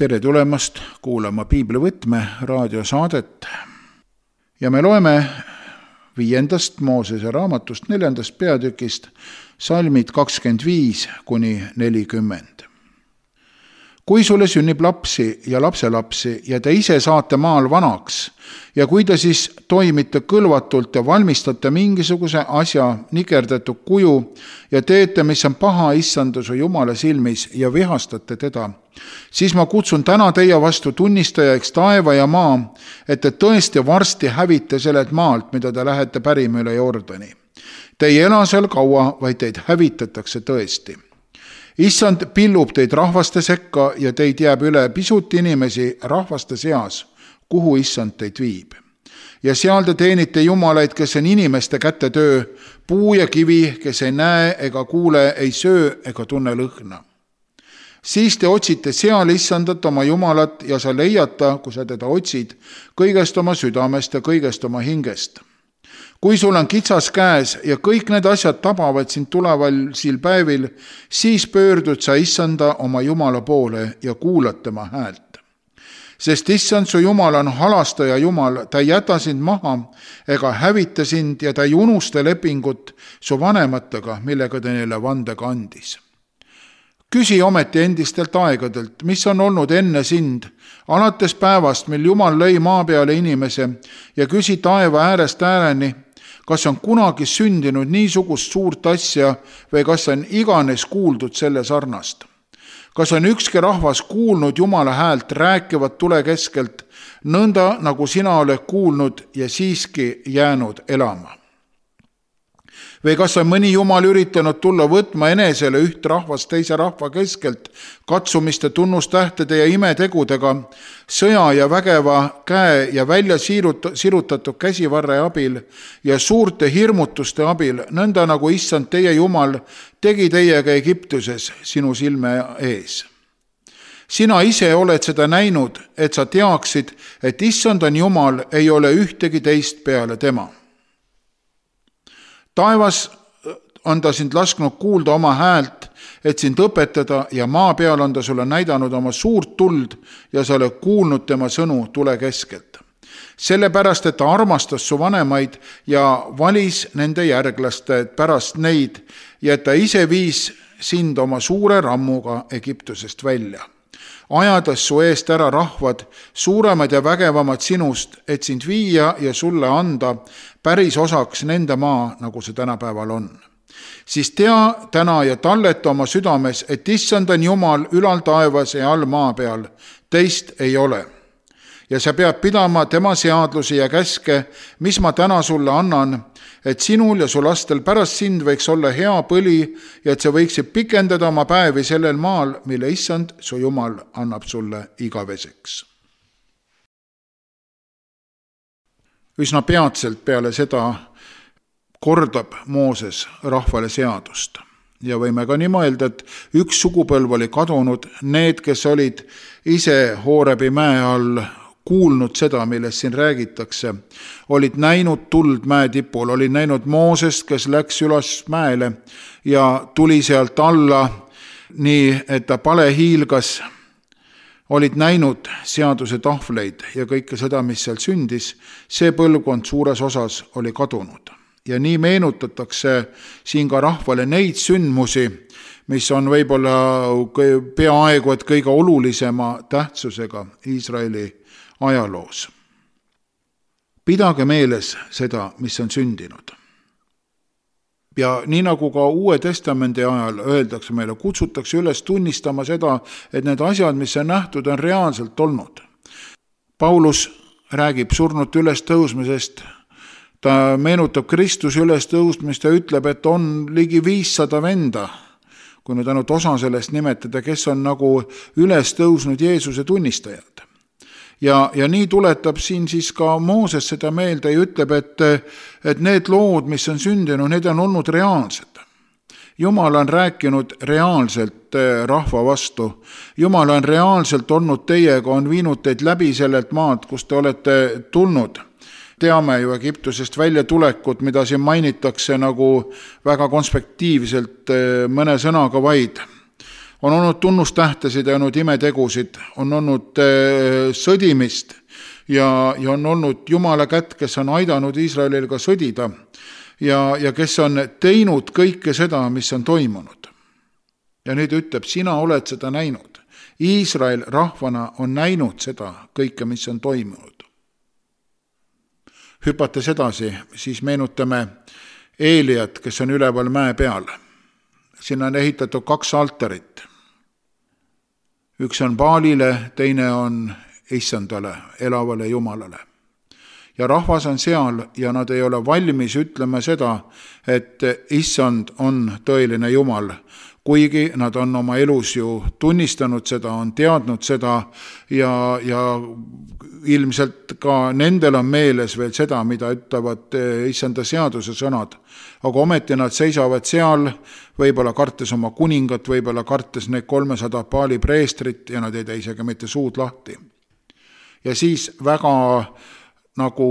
Tere tulemast kuulama Piiblivõtme raadiosaadet ja me loeme 5. Moosese raamatust 4. peatükist salmid 25-40. Kui sulle sünnib lapsi ja lapselapsi ja te ise saate maal vanaks ja kui te siis toimite kõlvatult ja valmistate mingisuguse asja nikerdatud kuju ja teete, mis on paha issanda su Jumala silmis ja vihastate teda, siis ma kutsun täna teie vastu tunnistajaks taeva ja maa, et te tõesti varsti hävite sellelt maalt, mida te lähete pärima üle Jordani. Te ei ela seal kaua, vaid teid hävitatakse tõesti. Issand pillub teid rahvaste sekka ja teid jääb üle pisut inimesi rahvaste seas, kuhu issand teid viib. Ja seal te teenite jumalaid, kes on inimeste käte töö, puu ja kivi, kes ei näe ega kuule, ei söö ega tunne lõhna. Siis te otsite seal issandat oma jumalat ja sa leiata, kui sa teda otsid, kõigest oma südamest ja kõigest oma hingest. Kui sul on kitsas käes ja kõik need asjad tabavad sind tulevasil päevil, siis pöördud sa issanda oma Jumala poole ja kuulad tema häält. Sest issand su Jumal on halastaja Jumal, ta ei jäta sind maha ega hävita sind ja ta ei unusta lepingut su vanematega, millega ta neile vandega andis. Küsi ometi endistelt aegadelt, mis on olnud enne sind, alates päevast, mil Jumal lõi maa peale inimese ja küsi taeva äärest ääreni, kas on kunagi sündinud niisugust suurt asja või kas on iganes kuuldud selle sarnast. Kas on ükski rahvas kuulnud Jumala häält rääkivat tule keskelt, nõnda nagu sina oled kuulnud ja siiski jäänud elama. Või kas on mõni Jumal üritanud tulla võtma enesele üht rahvast teise rahva keskelt, katsumiste tunnustähtede ja imetegudega, sõja ja vägeva käe ja välja sirutatud käsivarre abil ja suurte hirmutuste abil, nõnda nagu issand teie Jumal tegi teiega Egiptuses sinu silme ees. Sina ise oled seda näinud, et sa teaksid, et issand on Jumal, ei ole ühtegi teist peale tema. Taevas on ta sind lasknud kuulda oma häält, et sind õpetada ja maa peal on ta sulle näidanud oma suurt tuld ja sa oled kuulnud tema sõnu tule keskelt. Sellepärast, et ta armastas su vanemaid ja valis nende järglaste pärast neid ja et ta ise viis sind oma suure rammuga Egiptusest välja. Ajades su eest ära rahvad, suuremad ja vägevamad sinust, et sind viia ja sulle anda päris osaks nende maa, nagu see tänapäeval on. Siis tea täna ja talleta oma südames, et issand on Jumal ülal taevas ja all maa peal, teist ei ole. Ja sa pead pidama tema seadlusi ja käske, mis ma täna sulle annan, et sinul ja su lastel pärast sind võiks olla hea põli ja et sa võiksid pikendada oma päevi sellel maal, mille issand su Jumal annab sulle igaveseks. Üsna peatselt peale seda kordab Mooses rahvale seadust. Ja võime ka nii mõelda, et üks sugupõlv oli kadunud, need, kes olid ise Hoorebi mäe all kuulnud seda, millest siin räägitakse, olid näinud tuld mäe tipul, olid näinud Moosest, kes läks üles mäele ja tuli sealt alla nii, et ta pale hiilgas, olid näinud seaduse tahvleid ja kõike seda, mis seal sündis, see põlvkond suures osas oli kadunud. Ja nii meenutatakse siin ka rahvale neid sündmusi, mis on võib-olla peaaegu et kõige olulisema tähtsusega Iisraeli ajaloos. Pidage meeles seda, mis on sündinud. Ja nii nagu ka Uue Testamendi ajal öeldakse meile, kutsutakse üles tunnistama seda, et need asjad, mis on nähtud, on reaalselt olnud. Paulus räägib surnute üles tõusmisest, ta meenutab Kristuse üles tõusmist ja ütleb, et on ligi 500 venda, kui nüüd ainult osa sellest nimetada, kes on nagu üles tõusnud Jeesuse tunnistajad. Ja nii tuletab siin siis ka Mooses seda meelde ja ütleb, et need lood, mis on sündinud, need on olnud reaalsed. Jumal on rääkinud reaalselt rahva vastu. Jumal on reaalselt olnud teiega, on viinud teid läbi sellelt maad, kus te olete tulnud. Teame ju Egiptusest välja tulekut, mida siin mainitakse nagu väga konspektiivselt mõne sõnaga vaid. On olnud tunnustähtesid ja olnud imetegusid, on olnud sõdimist ja on olnud Jumala kätt, kes on aidanud Iisraelil ka sõdida ja kes on teinud kõike seda, mis on toimunud. Ja nüüd ütleb, sina oled seda näinud. Iisrael rahvana on näinud seda kõike, mis on toimunud. Hüpates edasi, siis meenutame Eeliat, kes on üleval mäe peal. Sinna on ehitatud 2 altarit. Üks on Baalile, teine on Issandale, elavale Jumalale. Ja rahvas on seal ja nad ei ole valmis ütlema seda, et Issand on tõeline Jumal, kuigi nad on oma elus ju tunnistanud seda, on teadnud seda ja ilmselt ka nendel on meeles veel seda, mida ütlevad Issanda seaduse sõnad. Aga ometi nad seisavad seal, võib-olla kartes oma kuningat, võib-olla kartes need 300 Baali preestrit ja nad ei tee isegi mitte suud lahti. Ja siis väga nagu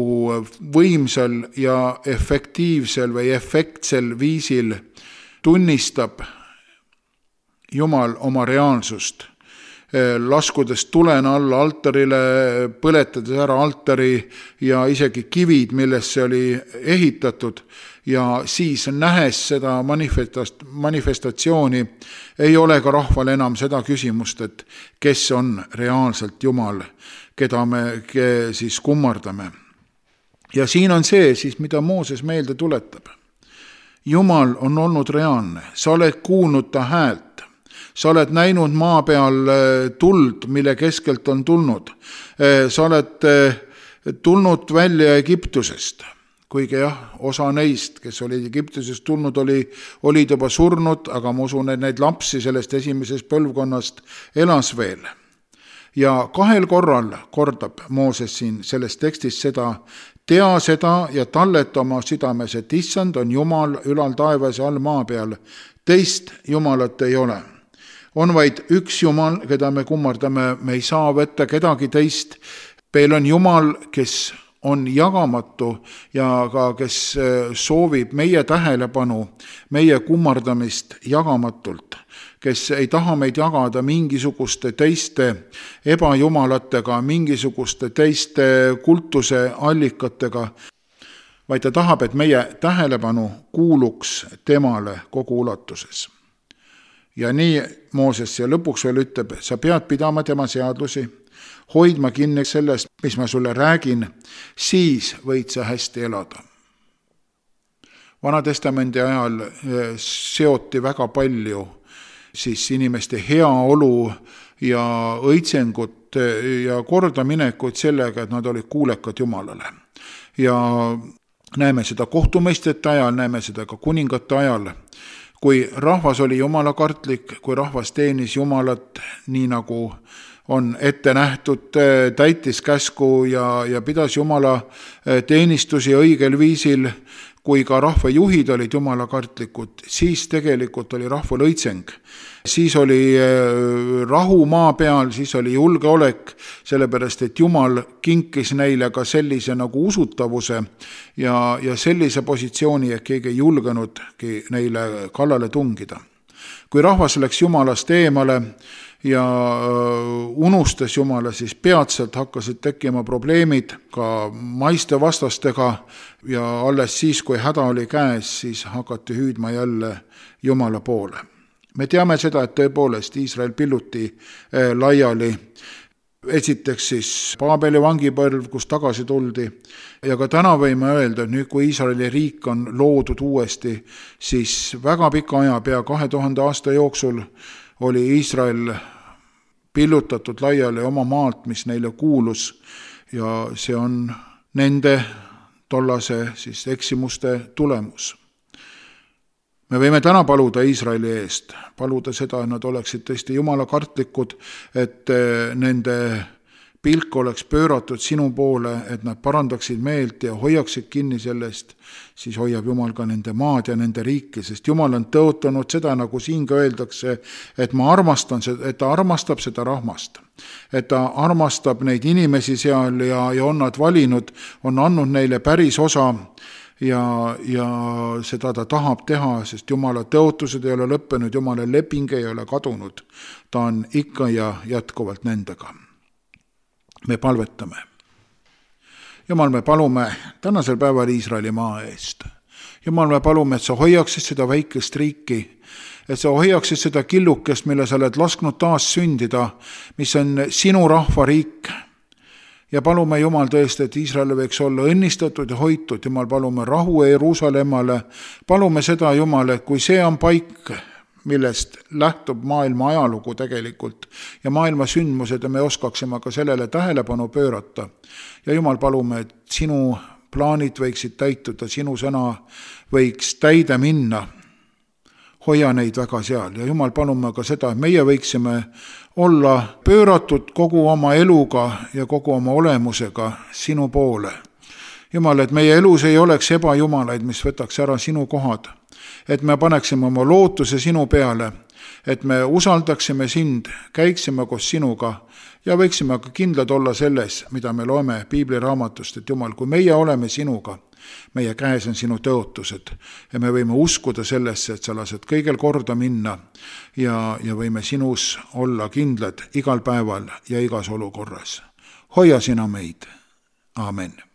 võimsal ja efektiivsel või efektsel viisil tunnistab Jumal oma reaalsust, laskudes tulena alla altarile, põletades ära altari ja isegi kivid, millesse oli ehitatud, ja siis nähes seda manifestatsiooni, ei ole ka rahval enam seda küsimust, et kes on reaalselt Jumal, keda me siis kummardame. Ja siin on see siis, mida Mooses meelde tuletab. Jumal on olnud reaalne, sa oled kuulnud ta häält. Sa oled näinud maa peal tuld, mille keskelt on tulnud. Sa oled tulnud välja Egiptusest, kuigi osa neist, kes olid Egiptusest tulnud, olid juba surnud, aga ma usun, et neid lapsi sellest esimesest põlvkonnast elas veel. Ja 2 korral kordab Mooses siin selles tekstis seda, tea seda ja talleta oma südames, et Issand on Jumal ülal taevas ja all maa peal. Teist Jumalat ei ole. On vaid üks Jumal, keda me kummardame, me ei saa võtta kedagi teist. Meil on Jumal, kes on jagamatu ja ka kes soovib meie tähelepanu, meie kummardamist jagamatult, kes ei taha meid jagada mingisuguste teiste ebajumalatega, mingisuguste teiste kultuse allikatega, vaid ta tahab, et meie tähelepanu kuuluks temale kogu ulatuses. Ja nii Mooses ja lõpuks veel ütleb, sa pead pidama tema seadusi, hoidma kinni sellest, mis ma sulle räägin, siis võid sa hästi elada. Vanatestamendi ajal seoti väga palju siis inimeste heaolu ja õitsengut ja kordaminekut sellega, et nad olid kuulekad Jumalale. Ja näeme seda kohtumõistjate ajal, näeme seda ka kuningate ajal, kui rahvas oli jumalakartlik, kui rahvas teenis Jumalat nii nagu on ette nähtud, täitis käsku ja pidas Jumala teenistusi õigel viisil, kui ka rahvajuhid olid jumalakartlikud, siis tegelikult oli rahval õitseng. Siis oli rahu maa peal, siis oli julgeolek, sellepärast et Jumal kinkis neile ka sellise nagu usutavuse ja sellise positsiooni, et keegi ei julgenudki neile kallale tungida. Kui rahvas läks Jumalast eemale ja unustas Jumala, siis peatselt hakkasid tekkima probleemid ka maiste vastastega ja alles siis, kui häda oli käes, siis hakati hüüdma jälle Jumala poole. Me teame seda, et tõepoolest Iisrael pilluti laiali. Esiteks siis Paabeli vangipõlv, kus tagasi tuldi. Ja ka täna võime öelda, et nüüd kui Iisraeli riik on loodud uuesti, siis väga pika aja, pea 2000 aasta jooksul oli Iisrael pillutatud laiali oma maalt, mis neile kuulus, ja see on nende tollase siis eksimuste tulemus. Me võime täna paluda Iisraeli eest, paluda seda, et nad oleksid tõesti jumalakartlikud, et nende pilk oleks pööratud sinu poole, et nad parandaksid meelt ja hoiaksid kinni sellest, siis hoiab Jumal ka nende maad ja nende riiki, sest Jumal on tõotanud seda, nagu siin ka öeldakse, et ta armastab seda rahvast, et ta armastab neid inimesi seal ja on nad valinud, on andnud neile päris osa ja seda ta tahab teha, sest Jumala tõotused ei ole lõppenud, Jumala leping ei ole kadunud. Ta on ikka ja jätkuvalt nendega. Me palvetame. Jumal, me palume tänasel päeval Iisraeli maa eest. Jumal, me palume, et sa hoiaksid seda väikest riiki, et sa hoiaksid seda killukest, mille sa oled lasknud taas sündida, mis on sinu rahvariik. Ja palume, Jumal, tõesti, et Iisrael võiks olla õnnistatud ja hoitud. Jumal, palume rahu Jeruusalemmale. Palume seda, Jumal, et kui see on paik, millest lähtub maailma ajalugu tegelikult ja maailma sündmused ja me oskaksime ka sellele tähelepanu pöörata. Ja Jumal, palume, et sinu plaanid võiksid täituda, sinu sõna võiks täide minna. Hoia neid väga seal ja Jumal, palume ka seda, et meie võiksime olla pööratud kogu oma eluga ja kogu oma olemusega sinu poole. Jumal, et meie elus ei oleks ebajumalaid, mis võtaks ära sinu kohad, et me paneksime oma lootuse sinu peale, et me usaldaksime sind, käiksime koos sinuga ja võiksime ka kindlad olla selles, mida me loeme piibliraamatust, et Jumal, kui meie oleme sinuga, meie käes on sinu tõotused ja me võime uskuda sellesse, et sa lased kõigel korda minna ja võime sinus olla kindlad igal päeval ja igas olukorras. Hoia sina meid. Aamen.